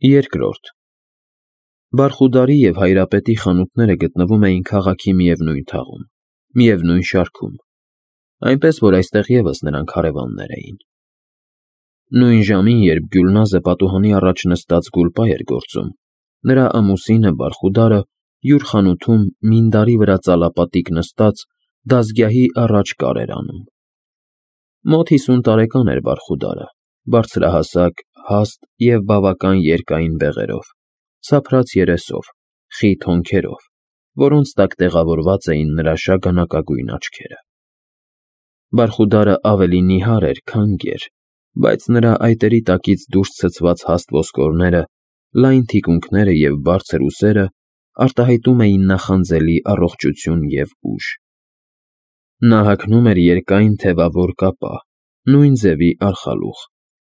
Երկրորդ Բարխուդարի և Հայրապետի խանութները գտնվում էին քաղաքի միևնույն թաղում, միևնույն շարքում, այնպես որ այստեղ ևս նրանք հարևաններ էին։ Նույն ժամին, երբ Գյուլնազը պատուհանի առաջ նստած գուլպա էր գործում, նրա ամուսինը Բարխուդարը յուր խանութում մինդարի վրա ծալապատիկ նստած դազգյահի առաջ կար էր անում։ Մոտ 50 տարեկան էր Բարխուդարը, բարձրահասակ, հաստ և բավական երկայն բեղերով, սափրած երեսով, խիտ հոնքերով, որոնց տակ տեղավորված էին նրա շագանակագույն աչքերը։ Բարխուդարը ավելի նիհար էր, քան գեր, բայց նրա այտերի տակից դուրս ցցված հաստ ոսկորները, լայն թիկունքները և բարձր ուսերը արտահայտում էին նախանձելի առողջություն և ուժ։ Նա հագնում էր երկայն թևավոր կապա, նույն ձևի արխալուղ,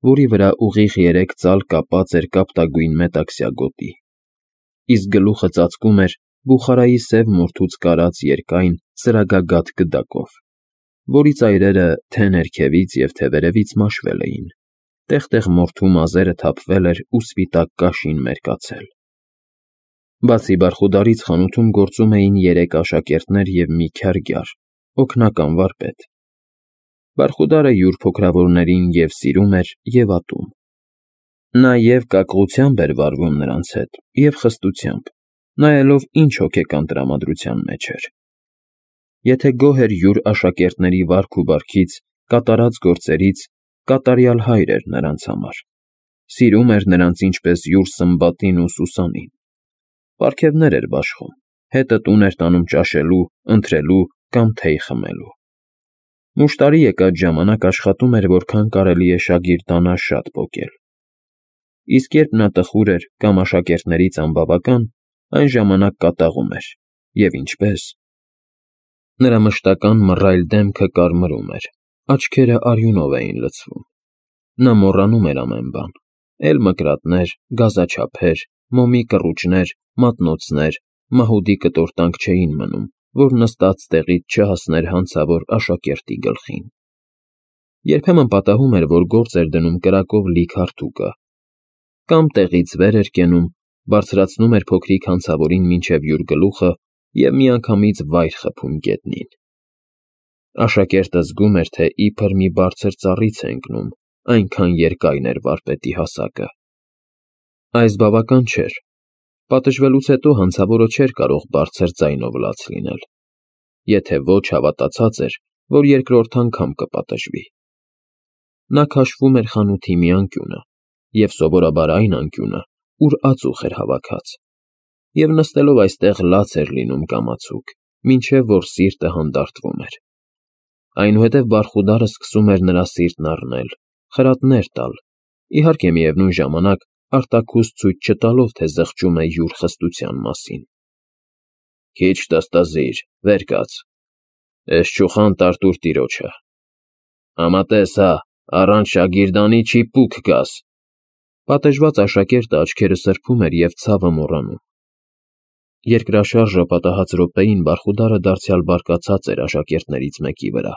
որի վրա ուղիղ 3 ծալ կապած էր կապտագույն մետաքսյա գոտի, իսկ գլուխը ծածկում էր բուխարայի սև մորթուց կարած երկայն սրագագաթ գդակով, որի ծայրերը թե՛ ներքևից և թե՛ վերևից մաշվել էին, տեղ֊տեղ մորթու մազերը թափվել էր ու սպիտակ կաշին մերկացել։ Բացի Բարխուդարից խանութում գործում էին 3 աշակերտներ և մի քյարգյար, օգնական վարպետ։ Բարխուդարը յուր փոքրավորներին և սիրում էր, և ատում։ Նա և կակղությամբ էր վարվում նրանց հետ, և խստությամբ, նայելով ինչ հոգեկան տրամադրության մեջ էր։ Եթե գոհ էր յուր աշակերտների վարք ու բարքից, կատարած գործերից, կատարյալ հայր էր նրանց համար։ Սիրում էր նրանց ինչպես յուր սմբատին ու Սուսանին։ Պարգևներ էր բաշխում, հետը տուն էր տանում ճաշելու, ընթրելու կամ թեյ խմելու։ Մուշտարի եկած ժամանակ աշխատում էր որքան կարելի է շագիրդանա շատ պոկել։ Իսկ երբ նա տխուր էր կամ աշակերտներից անբավական, այն ժամանակ կատաղում էր, և ինչպես։ Նրա մշտական մռայլ դեմքը կարմրում էր, աչքերը արյունով էին լցվում։ Նա մոռանում էր ամեն բան՝ էլ մկրատներ, գազաչափեր, մոմի կռուճներ, մատնոցներ, մահուդի կտորտանք չէին մնում, որ նստած տեղից չհասներ հանցավոր աշակերտի գլխին։ Երբեմն պատահում էր, որ գործ էր դնում կրակով լի քարտուկը, կամ տեղից վեր էր կենում, բարձրացնում էր փոքրիկ հանցավորին մինչև յուր գլուխը և միանգամից վայր խփում գետնին։ Աշակերտը զգում էր, թե իբր մի բարձր ծառից է ընկնում, այնքան երկայն էր վարպետի հասակը։ Այս բավական չէր։ Պատժվելուց հետո հանցավորը չէր կարող բարձր ձայնով լաց լինել։ Եթե ոչ, հավատացած էր, որ երկրորդ անգամ կպատժվի։ Նա քաշվում էր խանութի մի անկյունը, և սովորաբար այն անկյունը, ուր ածուխ էր հավաքած, և նստելով այստեղ լաց էր լինում կամացուկ, մինչև որ սիրտը հանդարտվում էր։ Այնուհետև Բարխուդարը սկսում էր նրա սիրտն առնել, խրատներ տալ, իհարկե միևնույն ժամանակ արտաքուստ ցույց չտալով, թե զղջում է յուր խստության մասին։ Քիչ տստզիր, վեր կաց, էս չուխան տարտուր տիրոջը։ Համատես հա, առանց շագիրդանի չի պուկ գաս։ Պատժված աշակերտը աչքերը սրբում էր և ցավը մոռանում։ Երկրաշարժը պատահած րոպեին Բարխուդարը դարձյալ բարկացած էր աշակերտներից մեկի վրա։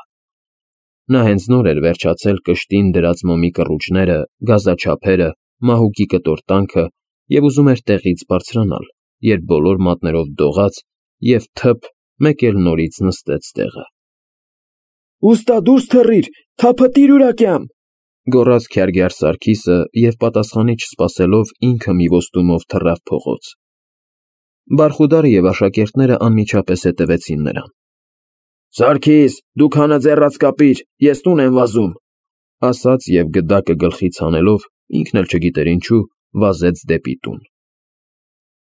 Նա հենց նոր էր վերջացել կշտին դրած մոմի կռուճները, գազաչափերը, մահուկի կտորտանքը և ուզում էր տեղից բարձրանալ, երբ բոլոր մատներով դողաց և թփ մեկ էլ նորից նստեց տեղը։ Ուստա դուրս թռիր, թափըտիր ուրակյամ, գոռաց քյարգյար Սարգիսը և պատասխանի չսպասելով ինքը մի ոստումով թռավ փողոց։ Բարխուդարը և աշակերտները անմիջապես հետևեցին նրան։ Սարգիս, դու քանը ձեռաց կապիր, ես տուն եմ վազում, ասաց և գդակը գլխից հանելով, ինքն էլ չգիտեր ինչու, վազեց դեպի տուն։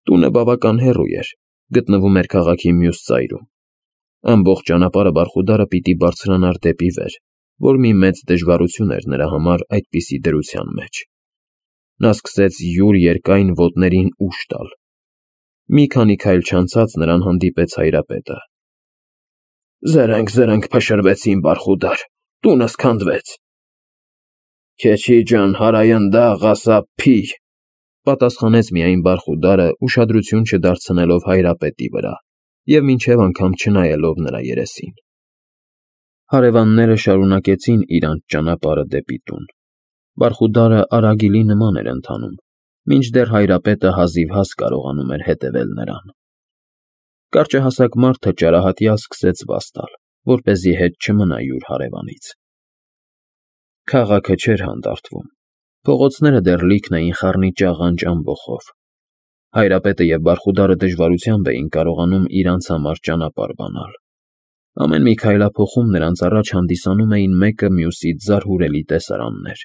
Տունը բավական հեռու էր, գտնվում էր քաղաքի մյուս ծայրում։ Ամբողջ ճանապարհը Բարխուդարը պիտի բարձրանար դեպի վեր, որ մի մեծ դժվարություն էր նրա համար այդպիսի դրության մեջ։ Նա սկսեց յուր երկայն ոտներին ուժ տալ։ Մի քանի քայլ չանցած նրան հանդիպեց Հայրապետը։ Զրնգ փշրվեցին, Բարխուդար, տունս քանդվեց։ Քեչի ջան, հարայնդա ղասա փի, պատասխանեց միայն Բարխուդարը, ուշադրություն չդարձնելով Հայրապետի վրա և մինչև անգամ չնայելով նրա երեսին։ Հարևանները շարունակեցին իրանց ճանապարհը դեպի տուն։ Բարխուդարը արագիլի նման էր ընթանում, մինչդեռ հայրապետը հազիվհազ կարողանում էր հետևել նրան։ Կարճահասակ մարդը ճարահատյալ սկսեց վազ տալ, որպեսզի հետ չմնա յուր հարևանից։ Քաղաքը չէր հանդարտվում, փողոցները դեռ լիքն էին խառնիճաղանճ ամբոխով։ Հայրապետը և Բարխուդարը դժվարությամբ էին կարողանում իրանց համար ճանապարհ բանալ։ Ամեն մի քայլափոխում նրանց առաջ հանդիսանում էին մեկը մյուսից զարհուրելի տեսարաններ։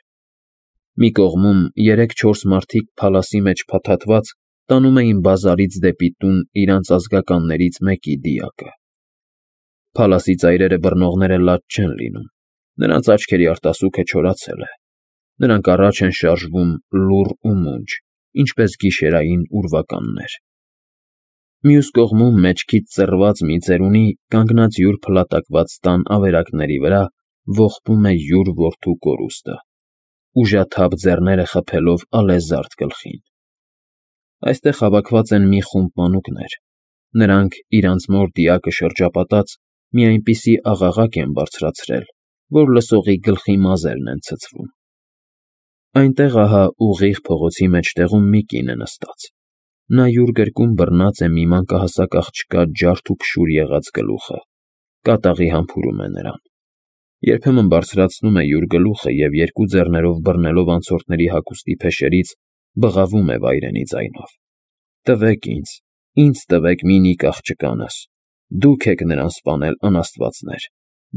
Մի կողմում 3-4 մարդիկ փալասի մեջ փաթաթված տանում էին բազարից դեպի տուն իրանց ազգականներից մեկի դիակը։ Փալասի ծայրերը բռնողները լաց չեն լինում, նրանց աչքերի արտասուքը չորացել է։ Նրանք առաջ են շարժվում լուռ ու մունջ, ինչպես գիշերային ուրվականներ։ Մյուս կողմում մեջքից ծռված մի ծերունի, կանգնած յուր փլատակված տան ավերակների վրա, ողբում է յուր որդու կորուստը, ուժաթափ ձեռները խփելով ալեզարդ գլխին։ Այստեղ հավաքված են մի խումբ մանուկներ։ Նրանք, իրանց մոր դիակը շրջապատած, մի այնպիսի աղաղակ են բարձրացրել, որ լսողի գլխի մազերն են ցցվում։ Այնտեղ ահա ուղիղ փողոցի մեջտեղում մի կին է նստած։ Նա յուր գրկում բռնած է մի մանկահասակ աղջկա ջարդ ու փշուր եղած գլուխը, կատաղի համբուրում է նրան։ Երբեմն բարձրացնում է յուր գլուխը և երկու ձեռներով բռնելով անցորդների հագուստի փեշերից, բղավում է վայրենի ձայնով. «Տվեք ինձ տվեք մինիկ աղջկանս, դուք եք նրան սպանել, անաստվածներ,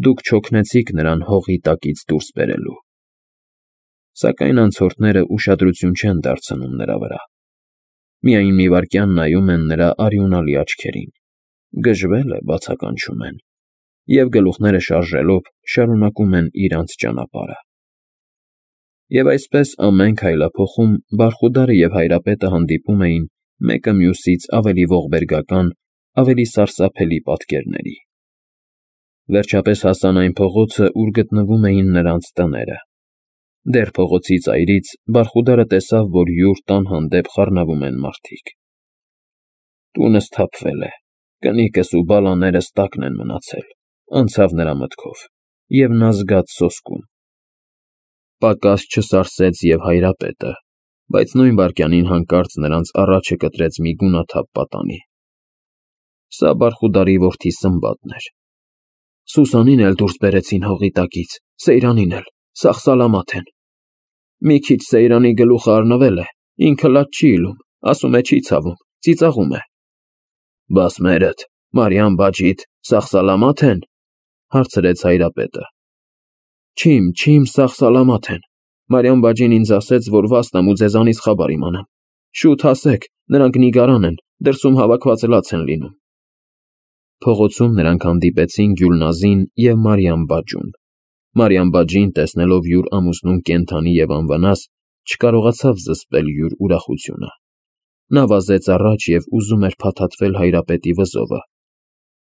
դուք չօգնեցիք նրան հողի տակից դուրս բերելու»։ Սակայն անցորդները ուշադրություն չեն դարձնում նրա վրա։ Միայն մի վայրկյան նայում են նրա արյունալի աչքերին, գժվել է, բացականչում են, և գլուխները շարժելով շարունակում են իրանց ճանապարհը։ Եվ այսպես ամեն քայլափոխում Բարխուդարը և հայրապետը հանդիպում էին մեկը մյուսից ավելի ողբերգական, ավելի սարսափելի պատկերների։ Վերջապես հասան այն փողոցը, ուր գտնվում էին նրանց տները։ Դեռ փողոցի ծայրից Բարխուդարը տեսավ, որ յուր տան հանդեպ խառնվում են մարդիկ։ Տունը սթափվել է, կնիկս ու բալաներս տակն են մնացել, անցավ նրա մտքով, և նա զգաց սոսկում։ Պակաս չսարսեց և հայրապետը, բայց նույն վայրկյանին հանկարծ նրանց առաջը կտրեց մի գունաթափ պատանի։ Սա Բարխուդարի որդի Սմբատն էր։ Սուսանին էլ դուրս բերեցին հողի տակից, Սեյրանին էլ, սաղ սալամաթ են։ Մի քիչ Սեյրանի գլուխը առնվել է, ինքը լաց չի իլում, ասում է չի ցավում, ծիծաղում է։ Բաս մերդ, Մարիամ բաջիդ, սաղ սալամաթ են, հարցրեց հայրապետը։ Չիմ, սաղ սալամաթ են։ Մարիամ բաջին ինձ ասեց, որ վաստամ ու ձեզանից խաբար իմանամ։ Շուտ հասեք, նրանք նիգարան են, դրսում հավաքված լաց են լինում։ Փողոցում նրանք հանդիպեցին Գյուլնազին և Մարիամ բաջուն։ Մարիամ բաջին, տեսնելով յուր ամուսնուն կենդանի և անվնաս, չկարողացավ զսպել յուր ուրախությունը։ Նա վազեց առաջ և ուզում էր փաթաթվել հայրապետի վզովը,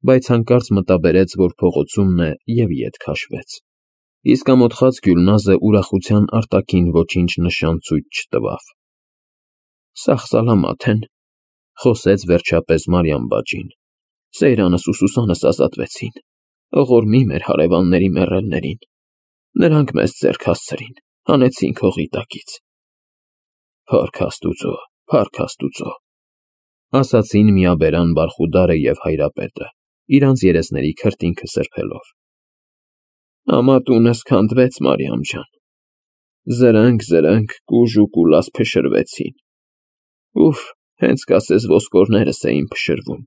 բայց հանկարծ մտաբերեց, որ փողոցումն է և ետ քաշվեց։ Իսկ ամոթխած Գյուլնազը ուրախության արտաքին ոչինչ նշան ցույց չտվավ։ Սաղ սալամաթ են, խոսեց վերջապես Մարիամ բաջին։ Սեյրանս ու Սուսանս ազատվեցին։ Ողորմի մեր հարևանների մեռելներին։ Նրանք մեզ ձեռք հասցրին, հանեցինք հողի տակից։ Փառք Աստուծո, ասացին միաբերան Բարխուդարը և հայրապետը, իրանց երեսների քրտինքը սրբելով։ Ամա տունս քանդվեց, Մարիամ ջան։ Զրնգ, կուժ ու կուլաս փշրվեցին։ Ուֆ, հենց կասես ոսկորներս էին փշրվում։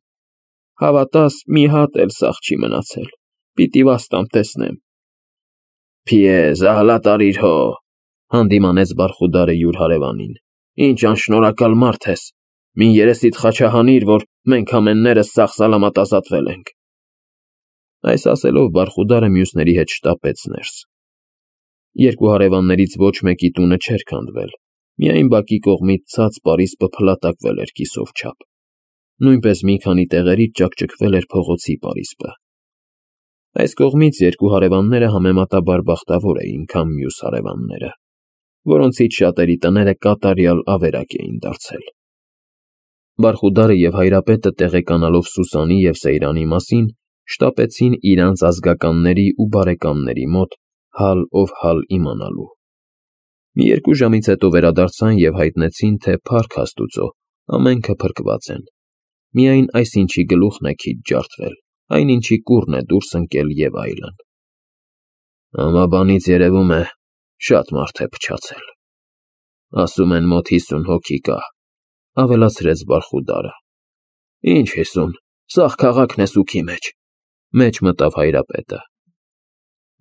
Հավատաս, մի հատ էլ սաղ չի մնացել, պիտի վաստամ տեսնեմ։ Փիեզ, ահլա տարիր հո, հանդիմանեց Բարխուդարը յուր հարևանին։ Ինչ անշնորհակալ մարդ ես, մին երեսիդ խաչահանիր, որ մենք ամեններս սաղ սալամատ ազատվել ենք։ Այս ասելով Բարխուդարը մյուսների հետ շտապեց ներս։ Երկու հարևաններից ոչ մեկի տունը չէր քանդվել, միայն բակի կողմից ցած պարիսպը փլատակվել էր կիսով չափ։ Նույնպես մի քանի տեղերից ճաքճքվել էր փողոցի պարիսպը։ Այս կողմից երկու հարևանները համեմատաբար բախտավոր էին, քան մյուս հարևանները, որոնցից շատերի տները կատարյալ ավերակ էին դարձել։ Բարխուդարը և հայրապետը տեղեկանալով Սուսանի և Սեյրանի մասին, շտապեցին իրանց ազգականների ու բարեկամների մոտ հալ ով հալ իմանալու։ Մի երկու ժամից հետո վերադարձան և հայտնեցին, թե փառք Աստուծո, ամենքը փրկված են, միայն այսինչի գլուխն է քիչ ջարդվել, այնինչի կուռն է դուրս ընկել և այլն։ Ամաբանից երևում է, շատ մարդ է փչացել։ Ասում են մոտ 50 հոգի կա, ավելացրեց Բարխուդարը։ Ինչ 50, սաղ քաղաքն է սուգի մեջ մտավ Հայրապետը։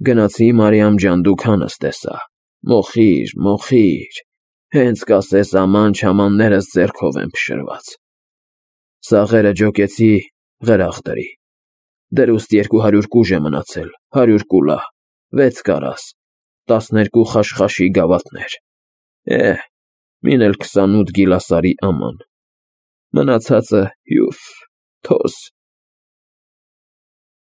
Գնացի Մարիամ ջան, դու քանս տեսա, մոխիր, հենց կասես աման-չամաններս ձեռքով են փշրված։ Սաղերը ջոկեցի, ղրախ դրի։ Դրուստ 200 կուժ է մնացել, 100 կուլա, 6 կարաս, 12 խաշխաշի գավաթներ, մին էլ 28 գիլասարի աման, մնացածը հյուֆ, թոս,